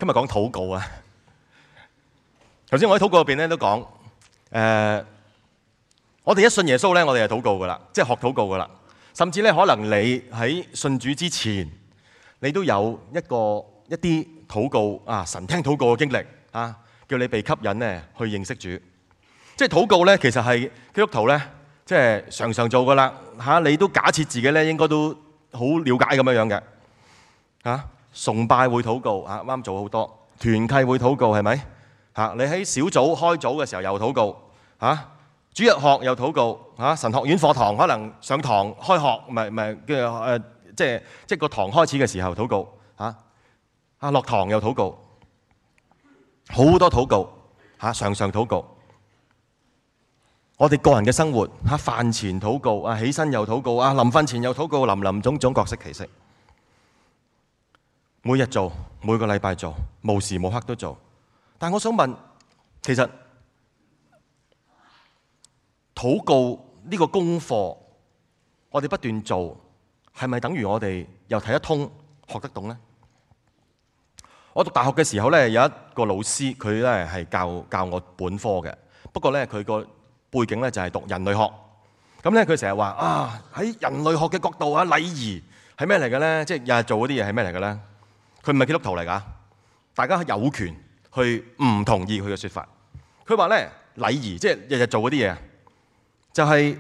今日講禱告啊！頭先我喺禱告入邊咧都講，我哋一信耶穌咧，我哋就禱告噶啦，即係學禱告噶啦。甚至咧，可能你喺信主之前，你都有一啲禱告啊，神聽禱告嘅經歷啊，叫你被吸引咧去認識主。即係禱告咧，其實係基督徒咧，即係常常做噶啦嚇。你都假設自己咧應該都好了解咁樣樣嘅嚇。崇拜會禱告啊，啱做好多團契會禱告係咪嚇？你喺小組開組嘅時候又禱告嚇，主日學又禱告嚇，神學院課堂可能上堂開學，唔係嘅即係個堂開始嘅時候禱告嚇，落堂又禱告，好多禱告嚇，常常禱告。我哋個人嘅生活嚇，飯前禱告啊，起身又禱告啊，臨瞓前又禱告，林種種各式其式。每日做，每個禮拜做，無時無刻都做。但我想問，其實禱告呢個功課，我哋不斷做，係咪等於我哋又睇得通、學得懂呢？我讀大學嘅時候呢，有一個老師，佢呢係教我本科嘅。不過呢，佢個背景呢就係讀人類學。咁呢，佢成日話啊，喺人類學嘅角度啊，禮儀係咩嚟嘅呢？即係日日做嗰啲嘢係咩嚟嘅呢？佢唔係基督徒嚟㗎，大家有權去唔同意佢嘅説法。佢話咧，禮儀即係日日做嗰啲嘢，就係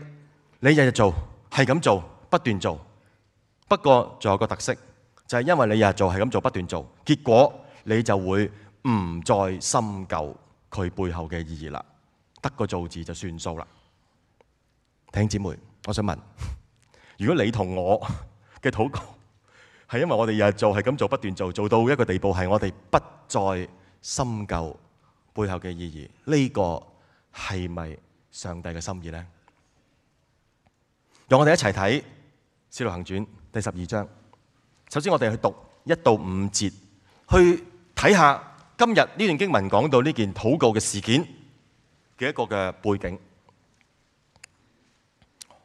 你日日做，係咁做，不斷做。不過仲有個特色，就係因為你日日做，係咁做，不斷做，結果你就會唔再深究佢背後嘅意義啦，得個做字就算數啦。弟兄姊妹，我想問，如果你同我嘅禱告，係因為我哋日日做，係咁做，不斷做，做到一個地步，係我哋不再深究背後嘅意義。呢個係咪上帝嘅心意呢？讓我哋一齊睇《使徒行傳》第12章。首先，我哋去讀1到5節，去睇下今日呢段經文講到呢件禱告嘅事件嘅一個嘅背景。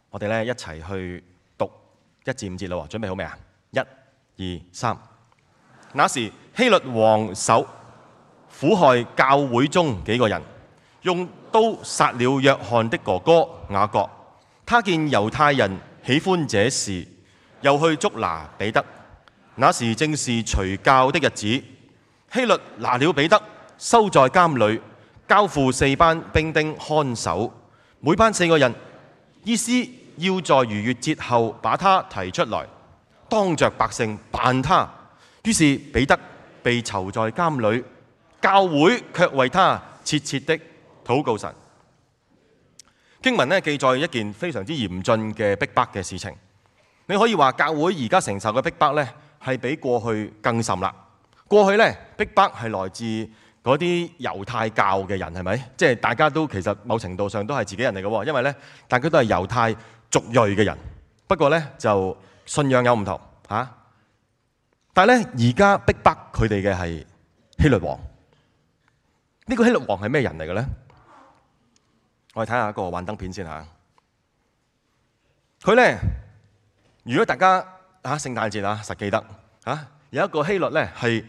我哋咧一齊去讀1至5節啦。準備好未啊？1、2、3。那時希律王手苦害教會中幾個人，用刀殺了約翰的哥哥雅各。他見猶太人喜歡這事，又去捉拿彼得。那時正是除酵的日子，希律拿了彼得，收在監裏，交付4班兵丁看守，每班4個人，意思要在逾越節後把他提出來，當着百姓辦他。於是彼得被囚在監裏，教會卻為他切切的禱告神。經文呢記載一件非常之嚴峻嘅逼迫嘅事情。你可以話教會而家承受嘅逼迫呢係比過去更甚啦。過去呢逼迫係來自嗰啲猶太教嘅人，係咪？即係大家都其實某程度上都係自己人嚟嘅喎，因為呢大家都係猶太族裔嘅人。不過呢就信仰有唔同嚇。但係呢而家逼迫佢哋嘅係希律王。呢個希律王係咩人嚟嘅呢？我哋睇下一個幻燈片先嚇。佢呢，如果大家聖誕節實記得有一個希律呢係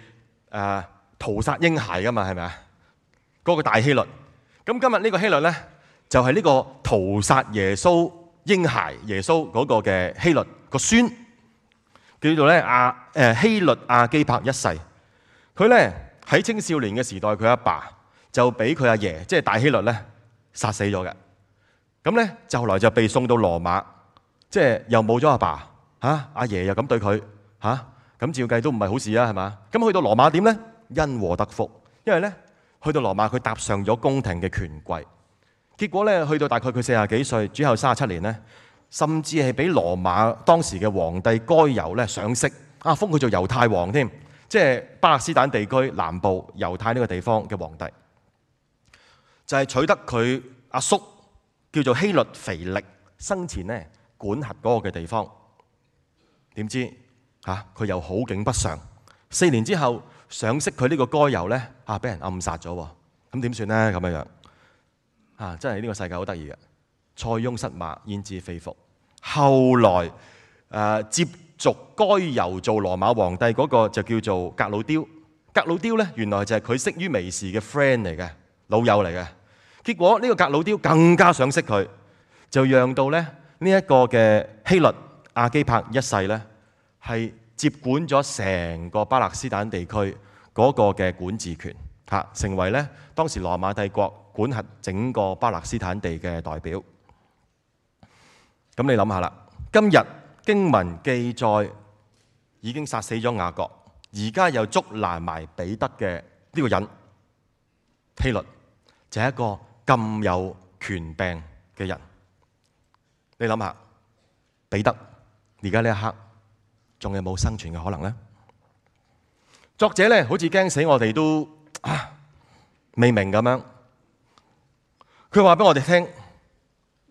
屠殺嬰孩噶嘛，係咪啊？嗰個大希律。咁今日呢個希律呢，就係呢個屠殺耶穌嬰孩耶穌嗰個嘅希律個孫，叫做咧希律亞基帕一世。佢呢喺青少年嘅時代，佢阿爸就俾佢阿爺即係大希律呢殺死咗嘅。咁呢就後來就被送到羅馬，即係又冇咗阿爸阿爺又咁對佢咁照計都唔係好事啊，係嘛？咁去到羅馬點呢？因禍得福，因為呢去到羅馬佢搭上咗宮廷嘅權貴，結果呢去到大概佢40幾歲，主後37年呢，甚至係俾羅馬當時嘅皇帝該猶呢賞識封佢做猶太王添，即係巴勒斯坦地區南部猶太呢個地方嘅皇帝，就係取得佢阿叔叫做希律腓力生前呢管轄嗰個嘅地方。點知佢又好景不常，4年之後賞識佢呢個該猶呢俾人暗殺咗喎。咁點算呢？咁樣樣真係呢個世界好得意嘅，塞翁失馬焉知非福。後來接續該猶做羅馬皇帝嗰個就叫做革魯丟。革魯丟咧，原來就係佢識於微時嘅 friend 嚟嘅，老友嚟嘅。結果呢個革魯丟更加想識佢，就讓到咧呢一個嘅希律亞基帕一世咧，係接管咗成個巴勒斯坦地區嗰個嘅管治權，成為咧當時羅馬帝國管轄整個巴勒斯坦地嘅代表。咁你諗下啦，今日經文記載已經殺死咗雅各，而家又捉拿埋彼得嘅呢個人希律，就係一個咁有權柄嘅人。你諗下，彼得而家呢一刻仲有冇生存嘅可能呢？作者咧好似驚死我哋都未明咁樣，佢話俾我哋聽，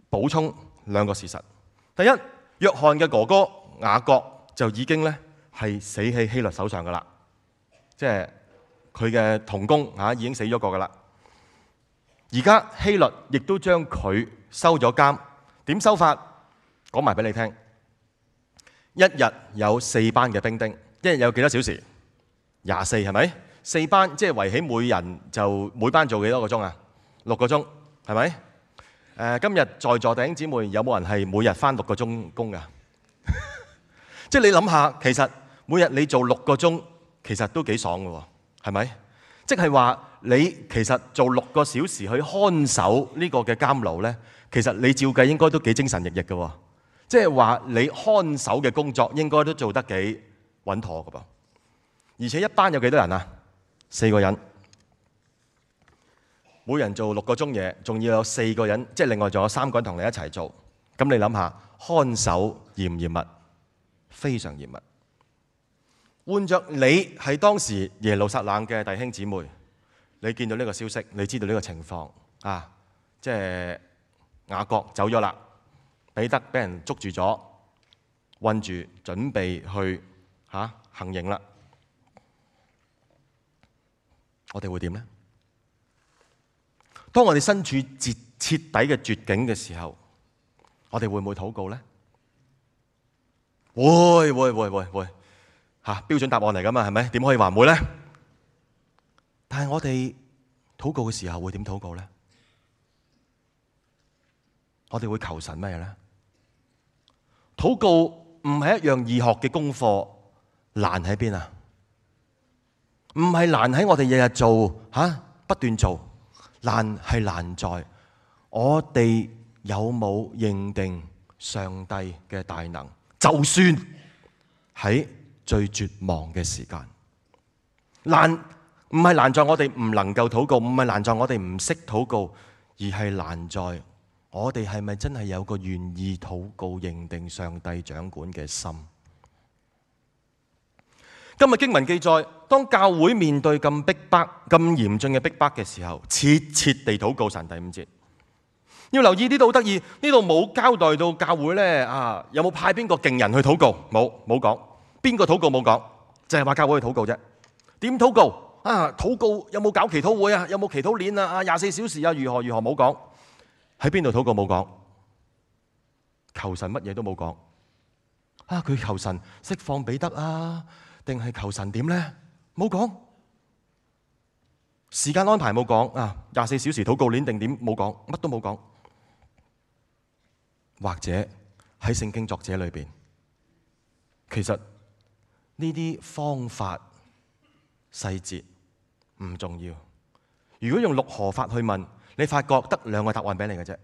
補充兩個事實。第一，約翰嘅哥哥雅各就已經咧係死喺希律手上噶啦，即係佢嘅同工已經死咗個噶啦。而家希律亦都將佢收咗監，點收法？講埋俾你聽。一日有4班嘅兵丁，一日有幾多小時？24係咪？4班即係圍起每人就每班做幾多個鐘啊？6個鐘係咪？今日在座弟兄姊妹有冇人係每日返6個鐘工㗎？即係你諗下，其實每日你做6個鐘，其實都幾爽㗎喎，係咪？即係話你其實做6個小時去看守呢個嘅監牢呢，其實你照計應該都幾精神奕奕㗎喎。即係話你看守嘅工作應該都做得幾穩妥㗎噃。而且一班有幾多人啊？4個人。每人做6個鐘嘢，仲要有4個人，即係另外仲有3個人同你一齊做。咁你諗下，看守嚴唔嚴密？非常嚴密。換着你係當時耶路撒冷嘅弟兄姊妹，你見到呢個消息，你知道呢個情況啊，即係雅各走咗啦，彼得俾人捉住咗，困住，準備去行刑啦。我哋會點呢？當我哋身處徹底嘅絕境嘅時候，我哋會唔會禱告呢？會標準答案嚟㗎嘛，係咪？點可以話唔會呢？但係我哋禱告嘅時候會點禱告呢？我哋會求神咩呢？禱告唔係一樣易學嘅功課，難喺邊啊？唔係難喺我哋日日做不斷做。難係難在我哋有冇認定上帝嘅大能，就算喺最絕望嘅時間。難唔係難在我哋唔能夠禱告，唔係難在我哋唔識禱告，而係難在我哋係咪真係有個願意禱告、認定上帝掌管嘅心。今日經文記載，當教會面對咁逼迫、咁嚴峻嘅逼迫嘅時候，切切地禱告神。第5節要留意，呢度好得意，呢度冇交代到教會呢有冇派邊個勁人去禱告，冇講邊個禱告，冇講，就係話教會去禱告啫。點禱告啊？禱告有冇搞祈禱會啊？有冇祈禱鏈啊？24小時啊？如何冇講？喺邊度禱告冇講？求神乜嘢都冇講佢求神釋放彼得啊？定係求神點呢？冇講。時間安排冇講24小時禱告鏈定點冇講，乜都冇講。或者喺聖經作者裏邊，其實呢啲方法細節唔重要。如果用六何法去問，你發覺得2個答案俾你嘅啫。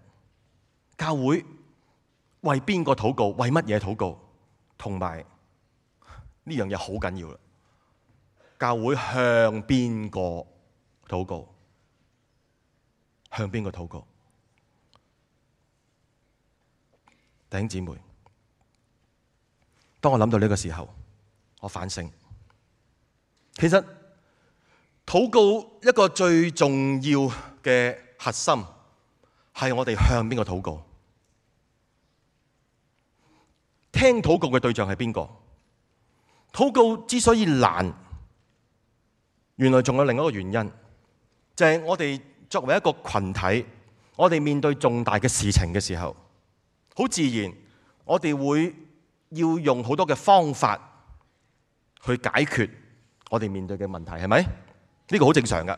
教會為邊個禱告？為乜嘢禱告？同埋呢樣嘢好緊要啦！教會向邊個禱告？向邊個禱告？弟兄姊妹，當我諗到呢個時候，我反省，其實禱告一個最重要嘅核心係我哋向邊個禱告？聽禱告嘅對象係邊個？禱告之所以難，原來仲有另一個原因，就係我哋作為一個群體，我哋面對重大嘅事情嘅時候，好自然我哋會要用好多嘅方法去解決我哋面對嘅問題，係咪？呢個好正常㗎。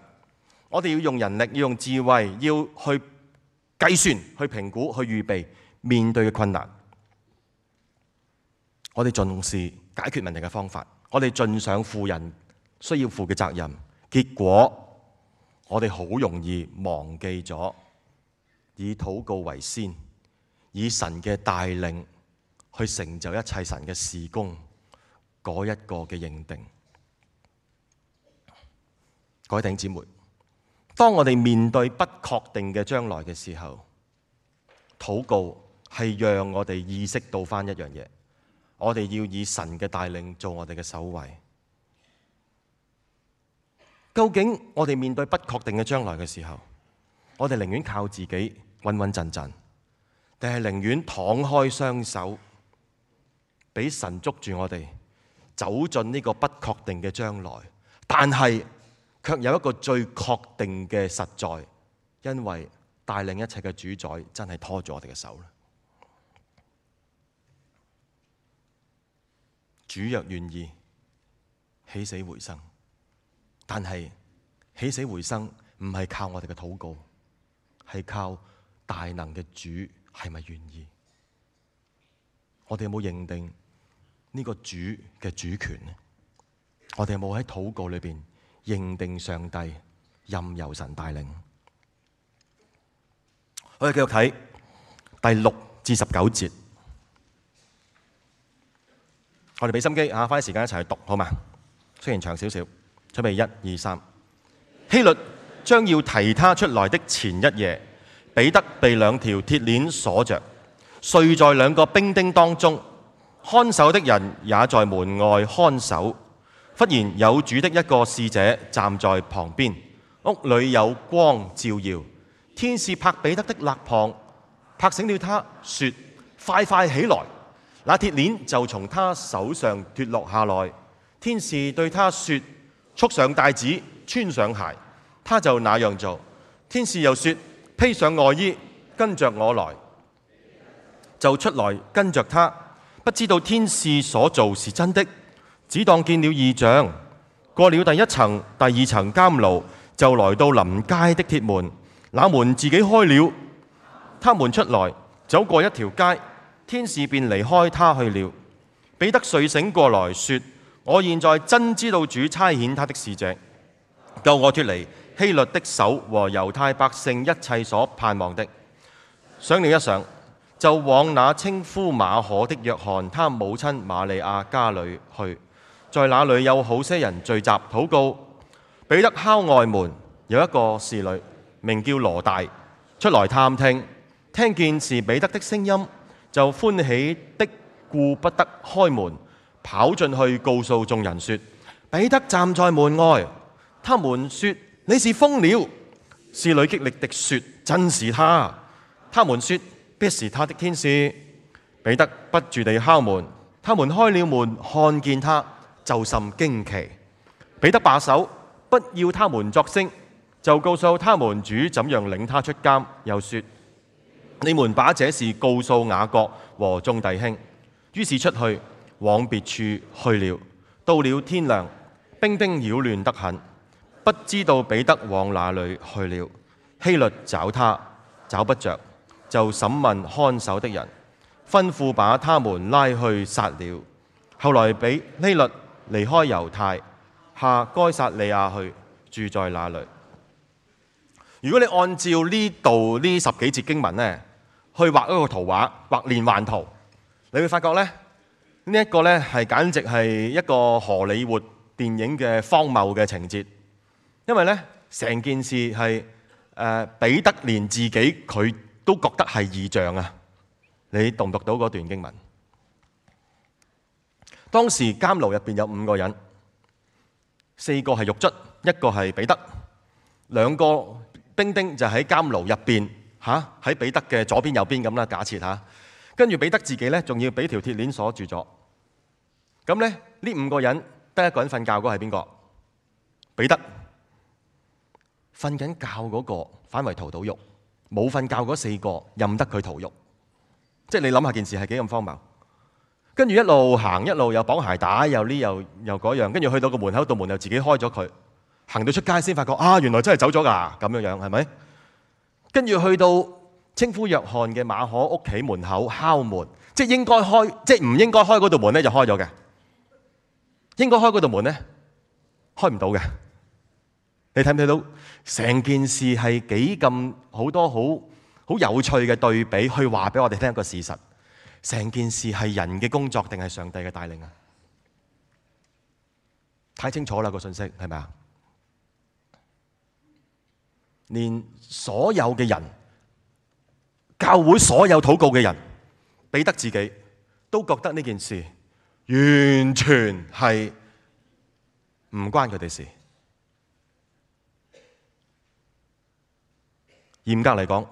我哋要用人力，要用智慧，要去計算、去評估、去預備面對嘅困難。我哋重視解決問題嘅方法，我哋盡上負人需要負嘅責任。結果我哋好容易忘記咗以禱告為先，以神嘅帶領去成就一切神嘅事工嗰一個嘅認定。各位弟兄姊妹，當我哋面對不確定嘅將來嘅時候，禱告係讓我哋意識到返一樣嘢，我哋要以神嘅帶領做我哋嘅首位。究竟我哋面對不確定嘅將來嘅時候，我哋寧願靠自己穩穩陣陣，定係寧願敞開雙手，俾神捉住我哋，走進呢個不確定嘅將來，但係卻有一個最確定嘅實在，因為帶領一切嘅主宰真係拖住我哋嘅手。主若願意，起死回生，但係起死回生唔係靠我哋嘅禱告，係靠大能嘅主係咪願意？我哋有冇認定呢個主嘅主權呢？我哋有冇喺禱告裏邊認定上帝任由神帶領？我哋繼續睇第6至19節。我哋俾心機花啲時間一齊去讀，好嘛？雖然長少少，準備1、2、3。希律將要提他出來的前一夜，彼得被2條鐵鏈鎖着，睡在2個兵丁當中，看守的人也在門外看守。忽然有主的一個使者站在旁邊，屋裏有光照耀，天使拍彼得的肋旁，拍醒了他，說：快快起來！那鐵鏈就從他手上脫落下來。天使對他說：束上帶子，穿上鞋。他就那樣做。天使又說：披上外衣，跟着我來。就出來跟着他，不知道天使所做是真的，只當見了異象。過了第1層、第2層監牢，就來到臨街的鐵門，那門自己開了，他們出來，走過一條街，天使便離開他去了。彼得睡醒過來，說：我現在真知道主差遣他的使者，救我脫離希律的手和猶太百姓一切所盼望的。想了一想，就往那稱呼馬可的約翰他母親瑪利亞家裏去，在那裏有好些人聚集禱告。彼得敲外門，有一個侍女名叫羅大出來探聽，聽見是彼得的聲音，就歡喜的顧不得開門，跑進去告訴眾人說：彼得站在門外。他們說：你是瘋了。侍女極力地說：真是他。他們說：必是他的天使。彼得不住地敲門，他們開了門，看見他，就甚驚奇。彼得把守，不要他們作聲，就告訴他們主怎樣領他出監，又說：你們把這事告訴雅各和眾弟兄。於是出去往別處去了。到了天亮，兵丁擾亂得很，不知道彼得往哪裏去了。希律找他，找不着，就審問看守的人，吩咐把他們拉去殺了。後來希律離開猶太，下該撒利亞去，住在那裏。如果你按照呢度呢10幾節經文呢，去畫一個圖畫，畫連環圖，你會發覺呢，呢一個呢係簡直係一個荷里活電影嘅荒謬嘅情節，因為呢成件事係彼得連自己佢都覺得係異象啊！你讀唔讀到嗰段經文？當時監牢入邊有5個人，4個係獄卒，一個係彼得，2個兵丁就喺監牢入邊喺彼得嘅左邊右邊咁啦，假設嚇。跟住彼得自己咧，仲要俾條鐵鏈鎖住咗。咁咧，呢5個人得一個人瞓覺，嗰個係邊個？彼得。瞓緊覺嗰個反為屠到獄，冇瞓覺嗰4個任得佢屠獄。即係你諗下件事係幾咁荒謬。跟住一路行一路又綁鞋帶，又呢又嗰樣，跟住去到個門口，道門又自己開咗佢，行到出街先發覺原來真係走咗㗎，咁樣係咪？跟住去到稱呼約翰嘅馬可屋企門口敲門，即係應該開，即係唔應該開嗰道門咧就開咗嘅，應該開嗰道門咧開唔到嘅。你睇唔睇到成件事係幾咁好多好有趣嘅對比，去話俾我哋聽一個事實。成件事係人嘅工作定係上帝嘅帶領啊？太清楚啦，個信息係咪啊？連所有嘅人，教會所有禱告嘅人，彼得自己都覺得呢件事完全係唔關佢哋事。嚴格嚟講，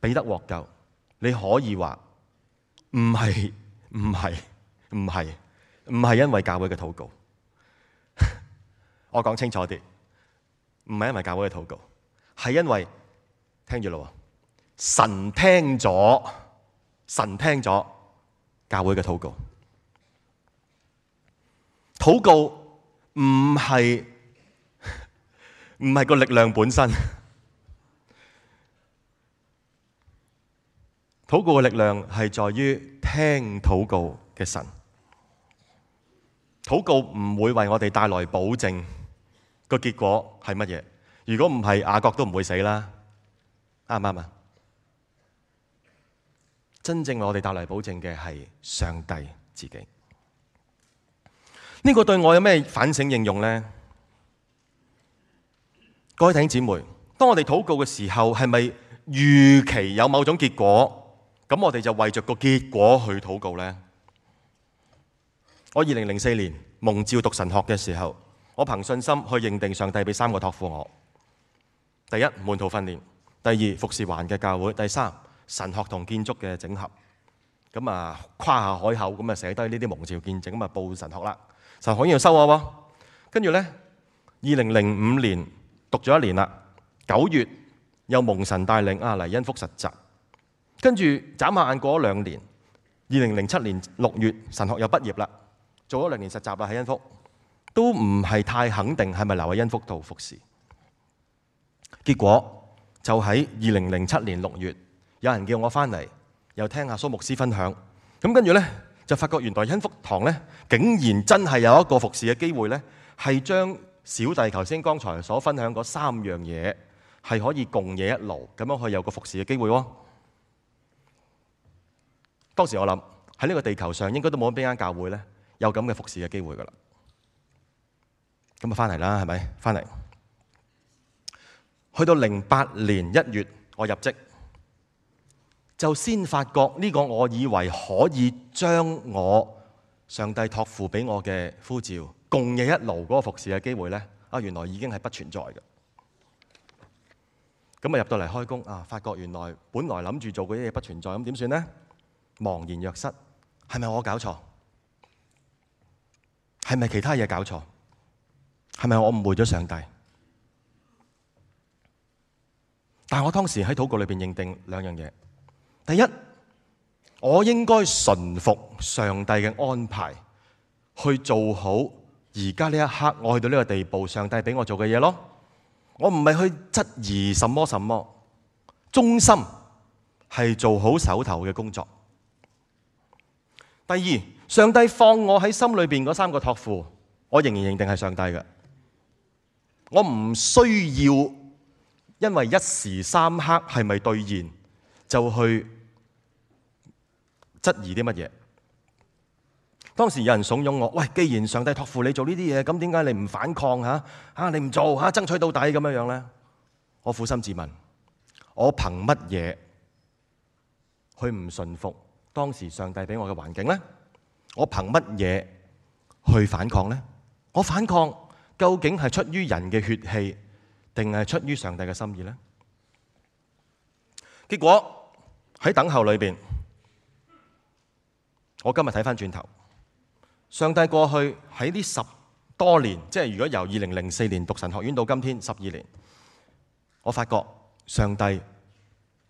彼得獲救，你可以話唔係因為教會嘅禱告。我講清楚啲，唔係因為教會嘅禱告，係因為聽住咯，神聽咗教會嘅禱告。禱告唔係個力量本身。禱告嘅力量係在於聽禱告嘅神。禱告唔會為我哋帶來保證，個結果係乜嘢？如果唔係，雅各都唔會死啦，啱唔啱啊？真正為我哋帶來保證嘅係上帝自己。呢個對我有咩反省應用呢？各位弟兄姊妹，當我哋禱告嘅時候，係咪預期有某種結果？咁我哋就為着個結果去禱告呢。我2004年蒙召讀神學嘅時候，我憑信心去認定上帝俾3個託付我：第一，門徒訓練；第二，服侍環嘅教會；第三，神學同建築嘅整合。咁啊，誇下海口，咁啊寫低呢啲蒙召見證，咁啊報神學啦。神學院要收我喎。跟住呢，2005年讀咗1年啦，9月又蒙神帶領嚟恩福實習。跟住眨下眼過咗2年，2007年6月神學又畢業啦，做咗2年實習啦喺恩福，都唔係太肯定係咪留喺恩福度服侍。結果就喺2007年6月，有人叫我翻嚟，又聽下蘇牧師分享，咁跟住呢，就發覺原來恩福堂呢，竟然真係有一個服侍嘅機會呢，係將小弟頭先剛才所分享嗰3樣嘢係可以共冶一爐，咁樣可以有個服侍嘅機會喎。當時我諗喺呢個地球上應該都冇邊間教會咧有咁嘅服侍嘅機會噶啦，咁啊翻嚟啦，係咪？翻嚟去到08年1月我入職，就先發覺呢個我以為可以將我上帝託付俾我嘅呼召共冶一爐嗰個服侍嘅機會咧，原來已經係不存在嘅。咁啊入到嚟開工發覺原來本來諗住做嗰啲嘢不存在，咁點算呢？茫然若失，係咪我搞錯？係咪其他嘢搞錯？係咪我誤會咗上帝？但係我當時喺禱告裏邊認定2樣嘢。第一，我應該順服上帝嘅安排，去做好而家呢一刻我去到呢個地步，上帝俾我做嘅嘢咯。我唔係去質疑什麼，忠心係做好手頭嘅工作。第二，上帝放我喺心裏邊嗰3個託付，我仍然認定係上帝嘅。我唔需要因為一時三刻係咪兌現，就去質疑啲乜嘢。當時有人慫恿我，喂，既然上帝託付你做呢啲嘢，咁點解你唔反抗你唔做爭取到底咁樣呢？我苦心自問，我憑乜嘢去唔順服當時上帝俾我嘅環境呢？我憑乜嘢去反抗呢？我反抗究竟係出於人嘅血氣，定係出於上帝嘅心意呢？結果喺等候裏邊，我今日睇翻轉頭，上帝過去喺呢10多年，即係如果由2004年讀神學院到今天12年，我發覺上帝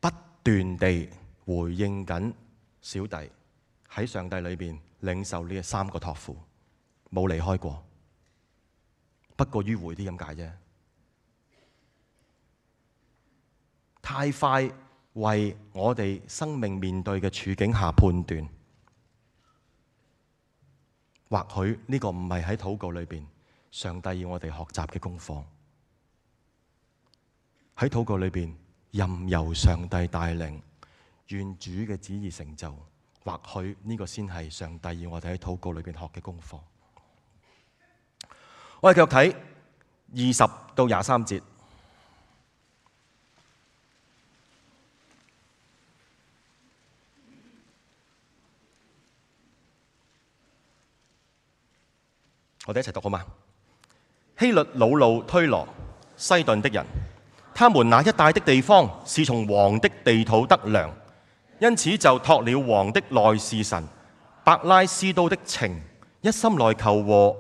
不斷地回應緊小弟喺上帝裏邊領受呢三個託付，冇離開過，不過迂迴啲咁解啫。太快為我哋生命面對嘅處境下判斷，或許呢個唔係喺禱告裏邊上帝要我哋學習嘅功課。喺禱告裏邊任由上帝帶領，願主嘅旨意成就，或許呢個先係上帝要我哋喺禱告裏邊學嘅功課。我哋繼續睇20到23節。我哋一齊讀好嗎？希律惱怒推羅、西頓的人，他們那一帶的地方是從王的地土得糧，因此就託了王的內侍臣伯拉斯都的情，一心來求和。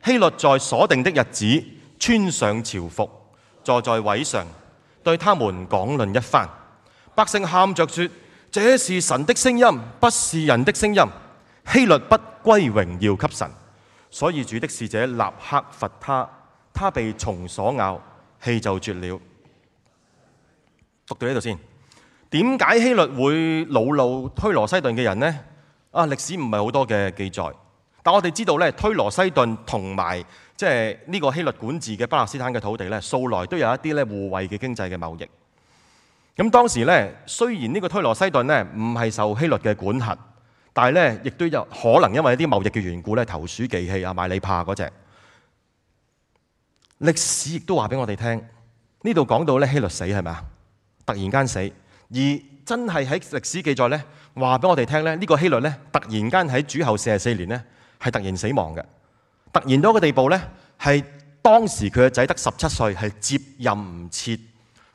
希律在所定的日子穿上朝服，坐在位上，對他們講論一番。百姓喊着說：這是神的聲音，不是人的聲音。希律不歸榮耀給神。所以主的使者立刻罰他，他被蟲所咬，氣就絕了。讀到呢度先。點解希律會惱怒推羅西頓嘅人呢？歷史唔係好多嘅記載，但我哋知道咧，推羅西頓同埋即係呢個希律管治嘅巴勒斯坦嘅土地咧，素來都有一啲咧互惠嘅經濟嘅貿易。咁當時咧，雖然呢個推羅西頓咧唔係受希律嘅管轄，但係咧，亦都有可能因為一啲貿易嘅緣故咧，投鼠忌器啊，買你怕嗰隻。歷史亦都話俾我哋聽，呢度講到咧希律死係咪啊？突然間死，而真係喺歷史記載咧話俾我哋聽咧，呢個希律咧突然間喺主後44年咧係突然死亡嘅。突然到一個地步咧，係當時佢嘅仔得17歲，係接任唔切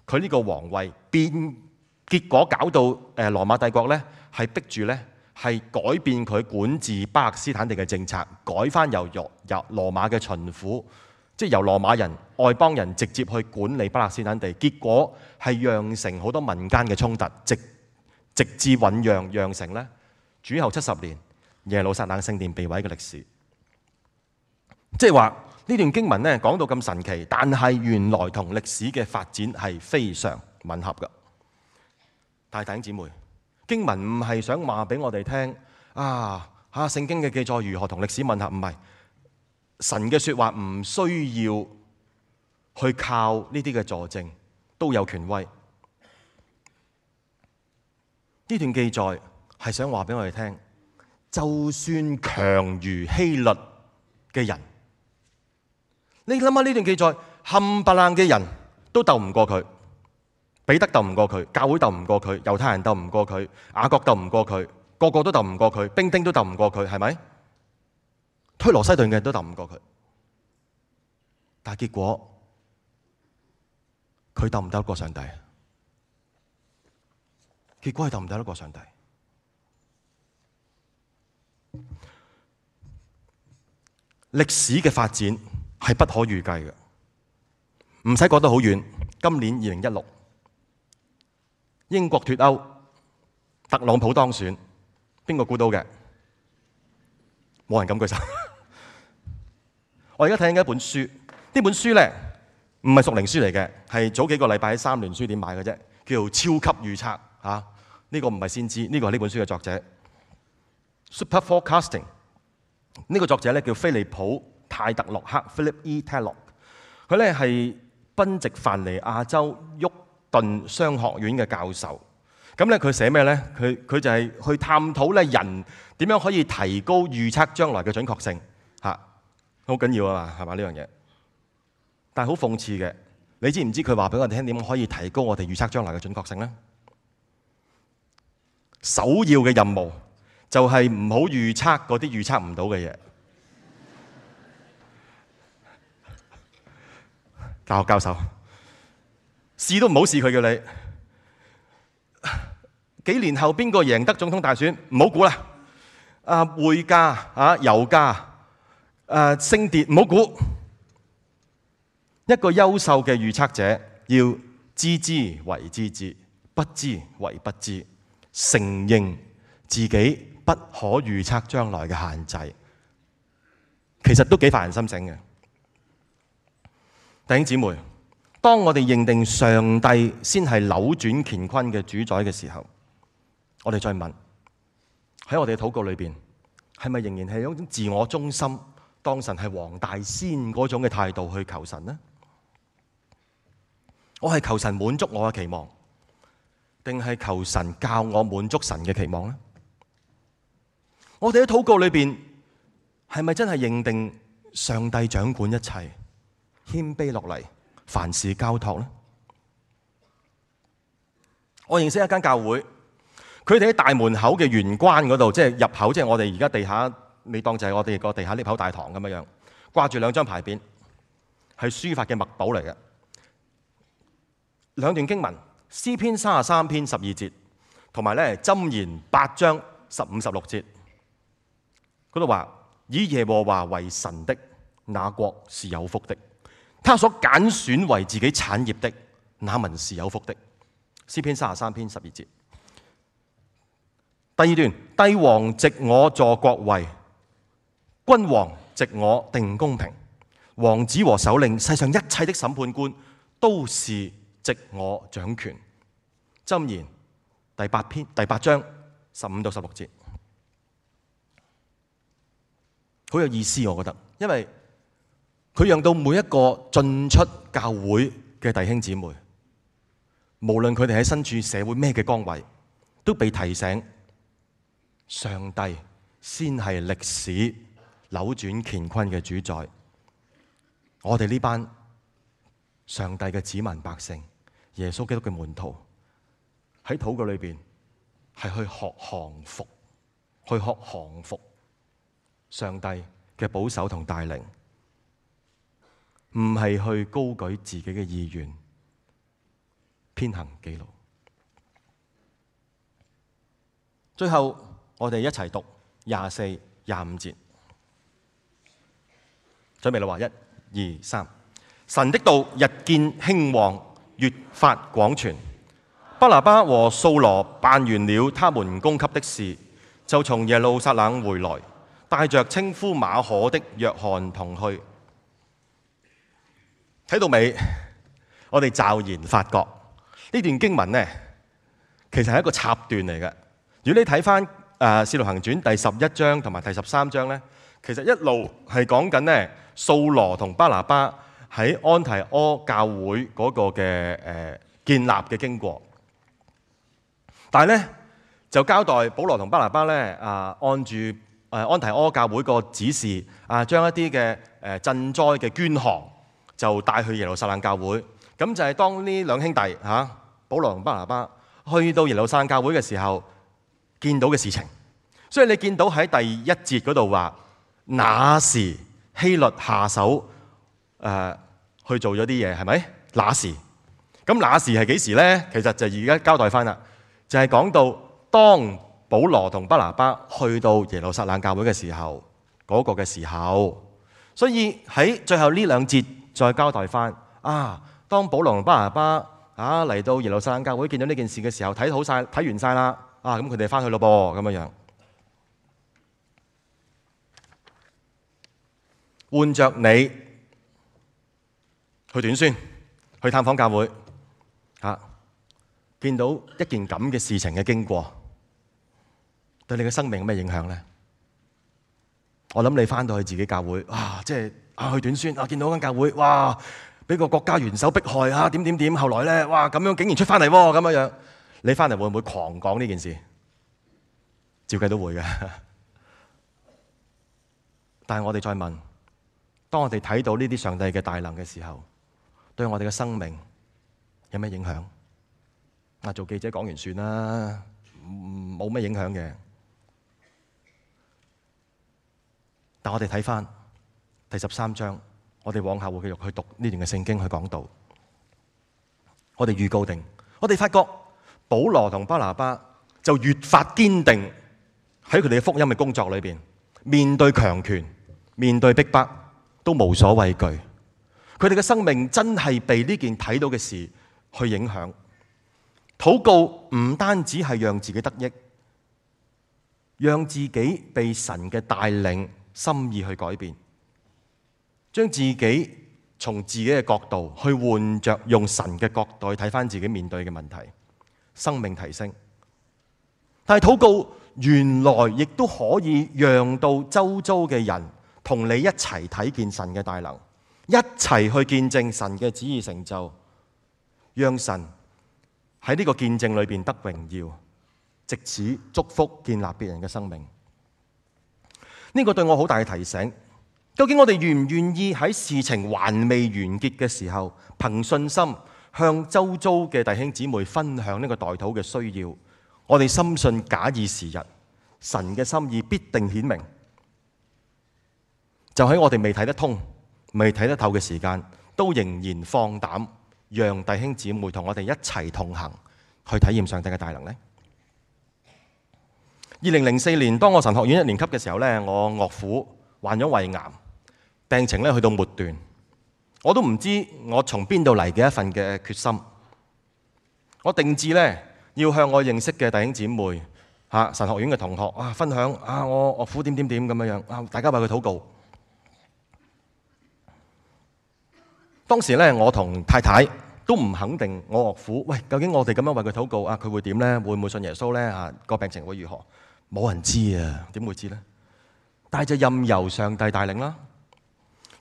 佢呢個皇位，結果搞到羅馬帝國咧係逼住咧。係改變佢管治巴勒斯坦地嘅政策，改翻由羅馬嘅巡撫，即係由羅馬人外邦人直接去管理巴勒斯坦地。結果係釀成好多民間嘅衝突，直至醖釀成咧主後70年耶路撒冷聖殿被毀嘅歷史。即係話呢段經文咧講到咁神奇，但係原來同歷史嘅發展係非常吻合嘅。但係弟兄姊妹，經文唔係想話俾我哋聽聖經嘅記載如何同歷史吻合，唔係。神嘅說話唔需要去靠呢啲嘅佐證，都有權威。呢段記載係想話俾我哋聽，就算強如希律嘅人，你諗下呢段記載冚唪唥嘅人都鬥唔過佢。彼得鬥唔過佢，教會鬥唔過佢，猶太人鬥唔過佢，雅各鬥唔過佢，個個都鬥唔過佢，兵丁都鬥唔過佢，係咪？推羅西頓嘅人都鬥唔過佢，但係結果佢鬥唔鬥得過上帝？結果係鬥唔鬥得過上帝？歷史嘅發展係不可預計嘅，唔使講得好遠。今年2016。英國脫歐，特朗普當選，邊個估到嘅？冇人敢舉手。我而家睇緊一本書，呢本書咧唔係屬靈書嚟嘅，係早幾個禮拜喺三聯書店買嘅啫，叫做《超級預測》嚇。呢個唔係先知，呢個係呢本書嘅作者 Super Forecasting。呢個作者咧叫菲利普泰特洛克 （Philip E. Tellock），佢咧係賓夕凡尼亞州沃頓商學院嘅教授。咁咧佢寫咩咧？佢就係去探討咧人點樣可以提高預測將來嘅準確性嚇，好緊要啊嘛，係嘛呢樣嘢？但係好諷刺嘅，你知唔知佢話俾我哋聽點可以提高我哋預測將來嘅準確性咧？首要嘅任務就係唔好預測嗰啲預測唔到嘅嘢。大學教授試都唔好試，佢叫你幾年後邊個贏得總統大選，唔好估啦。匯價油價升跌唔好估。一個優秀嘅預測者要知之為知之，不知為不知，承認自己不不可預測將來嘅限制，其實都幾發人心醒嘅。弟兄姊妹，當我哋認定上帝先係扭轉乾坤嘅主宰嘅時候，我哋再問，喺我哋嘅禱告裏邊，係咪仍然係一種自我中心，當神係黃大仙嗰種嘅態度去求神呢？我係求神滿足我嘅期望，定係求神教我滿足神嘅期望呢？我哋喺禱告裏邊，係咪真係認定上帝掌管一切，謙卑落嚟，凡事交託呢？我認識一間教會，佢哋喺大門口嘅玄關嗰度，即係入口，即係我哋而家地下，你當就係我哋個地下 lift 口大堂咁樣樣，掛住兩張牌匾，係書法嘅墨寶嚟嘅。兩段經文，詩篇33篇12節，同埋咧箴言8章15、16節，嗰度話：以耶和華為神的，那國是有福的；他所揀選為自己產業的，那民是有福的。詩篇33篇12節。第二段，帝王藉我坐國位，君王藉我定公平，王子和首領，世上一切的審判官，都是藉我掌權。箴言第8章15到16節，好有意思，我覺得，因為佢讓到每一個進出教會嘅弟兄姊妹，無論佢哋喺身處社會咩嘅崗位，都被提醒上帝先係歷史扭轉乾坤嘅主宰。我哋呢班上帝嘅子民百姓，耶穌基督嘅門徒，喺禱告裏邊係去學降服，去學降服上帝嘅保守同帶領，唔係去高舉自己嘅意願，偏行己路。最後我哋一齊讀24、25節，準備啦，話1、2、3。神的道日見興旺，越發廣傳。巴拿巴和掃羅辦完了他們供給的事，就從耶路撒冷回來，帶着稱呼馬可的約翰同去。睇到尾，我哋驟然發覺呢段經文呢，其實係一個插段嚟嘅。如果你睇翻《使徒行傳》第11章同埋第13章呢，其實一路係講緊呢掃羅同巴拿巴喺安提阿教會嗰個嘅建立嘅經過。但係咧就交代保羅同巴拿巴咧按住安提阿教會個指示將一啲嘅賑災嘅捐項就帶去耶路撒冷教會。咁就係當呢兩兄弟保羅同巴拿巴去到耶路撒冷教會嘅時候見到嘅事情。所以你見到喺第1節嗰度話，那時希律下手去做咗啲嘢，係咪？那時，咁那時係幾時咧？其實就而家交代翻啦。就係講到當保羅同巴拿巴去到耶路撒冷教會嘅時候，嗰個嘅時候，所以喺最後呢2節再交代翻當保羅同巴拿巴嚟到耶路撒冷教會見到呢件事嘅時候，睇完晒啦，咁佢哋翻去咯噃，咁樣樣。換着你去短宣，去探訪教會見到一件咁嘅事情嘅經過，對你嘅生命有咩影響呢？我諗你翻到去自己教會，即係去短宣，見到間教會，俾個國家元首迫害，點，後來咧，咁樣竟然出翻嚟喎，咁樣樣，你翻嚟會唔會狂講呢件事？照計都會嘅。但係我哋再問，當我哋睇到呢啲上帝嘅大能嘅時候，對我哋嘅生命有咩影響？做記者講完算啦，冇咩影響嘅。但我哋睇翻第13章，我哋往後會繼續去讀呢段嘅聖經去講道。我哋預告定，我哋發覺保羅同巴拿巴就越發堅定喺佢哋嘅福音嘅工作裏邊，面對強權、面對逼迫都無所畏懼。佢哋嘅生命真係被呢件睇到嘅事去影響。禱告唔單止係讓自己得益，讓自己被神嘅帶領心意去改變，將自己從自己嘅角度去換着用神嘅角度去睇返自己面對嘅問題，生命提升。但係禱告原來亦都可以讓到周遭嘅人同你一齊睇見神嘅大能，一齊去見證神嘅旨意成就，讓神喺呢個見證裏邊得榮耀，藉此祝福建立別人嘅生命。呢個對我好大嘅提醒。究竟我哋願唔願意喺事情還未完結嘅時候，憑信心向周遭嘅弟兄姊妹分享呢個代禱嘅需要？我哋深信假以時日，神嘅心意必定顯明。就喺我哋未睇得通、未睇得透嘅時間，都仍然放膽讓弟兄姊妹同我哋一齊同行，去體驗上帝嘅大能呢。2004年，當我神學院1年級嘅時候呢，我岳父患咗胃癌，病情咧去到末段，我都唔知我從邊度嚟嘅一份嘅決心。我定志咧要向我認識嘅弟兄姊妹、神學院嘅同學分享我岳父點咁樣，大家為佢禱告。當時咧我同太太都唔肯定我岳父，究竟我哋咁樣為佢禱告佢會點咧？會唔會信耶穌咧？個病情會如何？冇人知啊，點會知咧？但係就任由上帝帶領啦。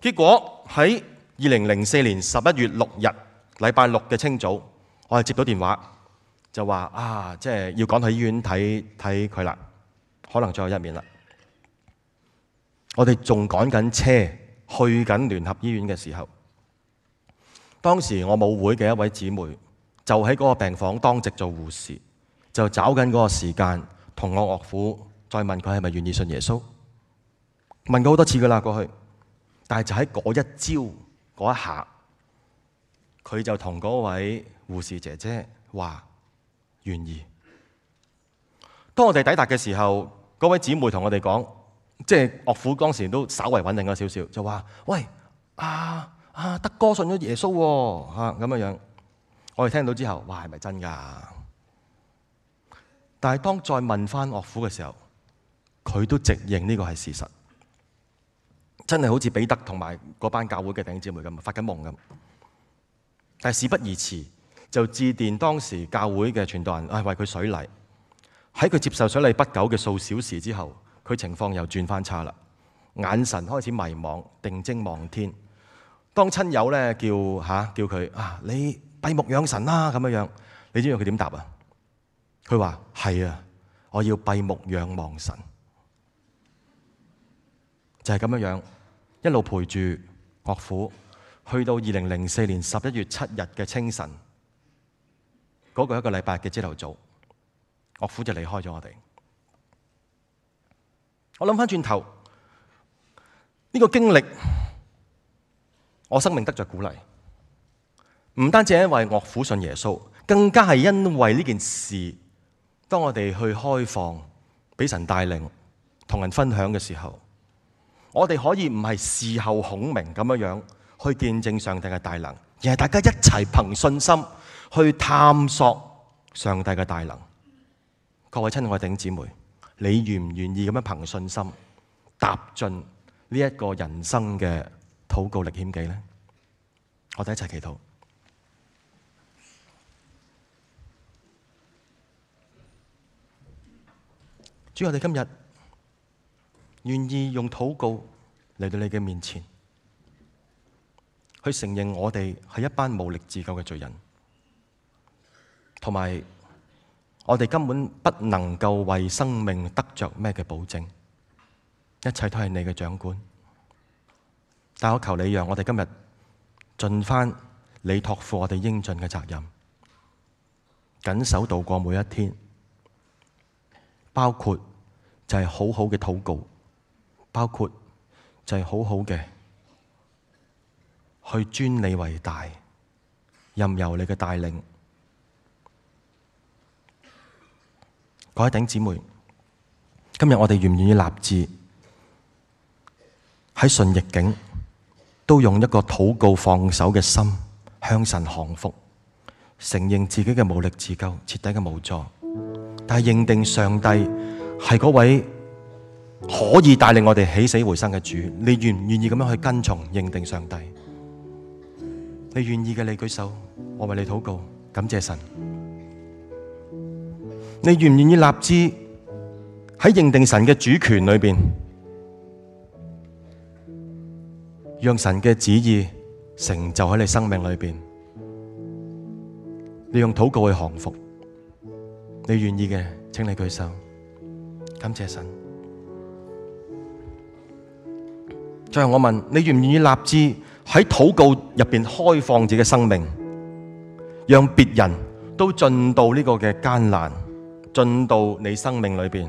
結果喺2004年11月6日禮拜六嘅清早，我係接到電話，就話即係要趕去醫院睇佢啦，可能最後一面啦。我哋仲趕緊車去緊聯合醫院嘅時候，當時我母會嘅一位姊妹就喺嗰個病房當值做護士，就找緊嗰個時間同我岳父再問佢係咪願意信耶穌。問過好多次噶啦過去，但係就喺嗰一朝嗰一下，佢就同嗰位護士姐姐話願意。當我哋抵達嘅時候，嗰位姊妹同我哋講，即係岳父當時都稍為穩定咗少少，就話：喂，德哥信咗耶穌喎，咁樣。我哋聽到之後，哇，係咪真㗎？但係當再問翻岳父嘅時候，佢都直認呢個係事實。真係好似彼得同埋嗰班教會嘅弟兄姊妹咁，發緊夢咁。但係事不宜遲，就致電當時教會嘅傳道人，為佢水禮。喺佢接受水禮不久嘅數小時之後，佢情況又轉翻差啦，眼神開始迷茫，定睛望天。當親友咧叫佢你閉目養神啦咁樣，你知唔知佢點答啊？佢話係啊，我要閉目仰望神。就係咁樣，一路陪住岳父，去到2004年11月7日嘅清晨，嗰個一個禮拜嘅朝頭早，岳父就離開咗我哋。我諗翻轉頭，呢個經歷，我生命得着鼓勵，唔單止係因為岳父信耶穌，更加係因為呢件事，當我哋去開放，俾神帶領，同人分享嘅時候，我哋可以唔係事後孔明咁樣去見證上帝嘅大能，而係大家一齊憑信心去探索上帝嘅大能。各位親愛的弟兄姊妹，你願唔願意咁樣憑信心踏進呢一個人生嘅禱告歷險記呢？我哋一齊祈禱。主，我哋今日願意用禱告嚟到你嘅面前，去承認我哋係一班無力自救嘅罪人，同埋我哋根本不能夠為生命得着咩嘅保證，一切都係你嘅掌管。但我求你讓我哋今日盡翻你託付我哋應盡嘅責任，謹守度過每一天，包括就係好好嘅禱告，包括就係好好嘅去尊你為大，任由你嘅帶領。各位弟兄姊妹，今日我哋願唔願意立志喺順逆境都用一個禱告放手嘅心向神降服，承認自己嘅無力自救，徹底嘅無助，但係認定上帝係嗰位可以帶領我哋起死回生嘅主。你願唔願意咁樣去跟從認定上帝？你願意嘅，你舉手，我為你禱告，感謝神。你願唔願意立志喺認定神嘅主權裏邊，讓神嘅旨意成就喺你生命裏邊？你用禱告去降服。你願意嘅，請你舉手，感謝神。最後我問你，願唔願意立志喺禱告入邊開放自己嘅生命，讓別人都進到呢個嘅艱難，進到你生命裏邊，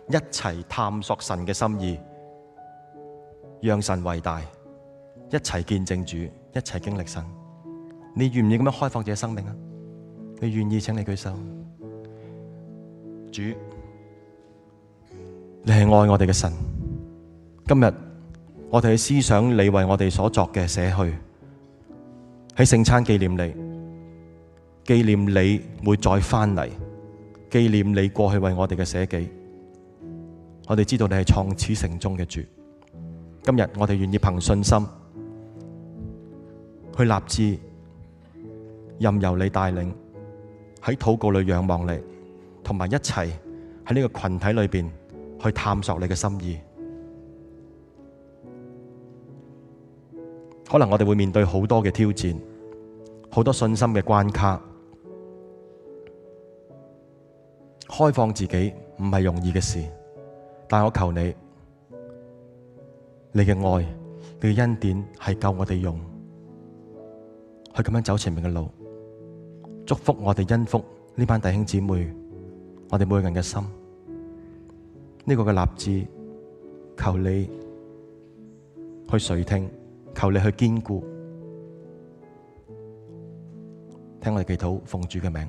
一齊探索神嘅心意，讓神為大，一齊見證主，一齊經歷神。你願唔願意咁樣開放自己生命啊？你願意，請你舉手。主，你係愛我哋嘅神。今日我哋去思想你為我哋所作嘅捨去，喺聖餐紀念你，紀念你會再翻嚟，紀念你過去為我哋嘅捨己。我哋知道你係創始成終嘅主。今日我哋願意憑信心去立志，任由你帶領，喺禱告裏仰望你，同埋一齊喺呢個群體裏邊去探索你嘅心意。可能我哋會面對好多嘅挑戰，好多信心嘅關卡。開放自己唔係容易嘅事，但我求你，你嘅愛，你嘅恩典係夠我哋用，去咁樣走前面嘅路。祝福我哋，恩福呢班弟兄姊妹，我哋每個人嘅心。呢個嘅立志，求你去垂聽，求你去堅固，聽我哋祈禱，奉主嘅名。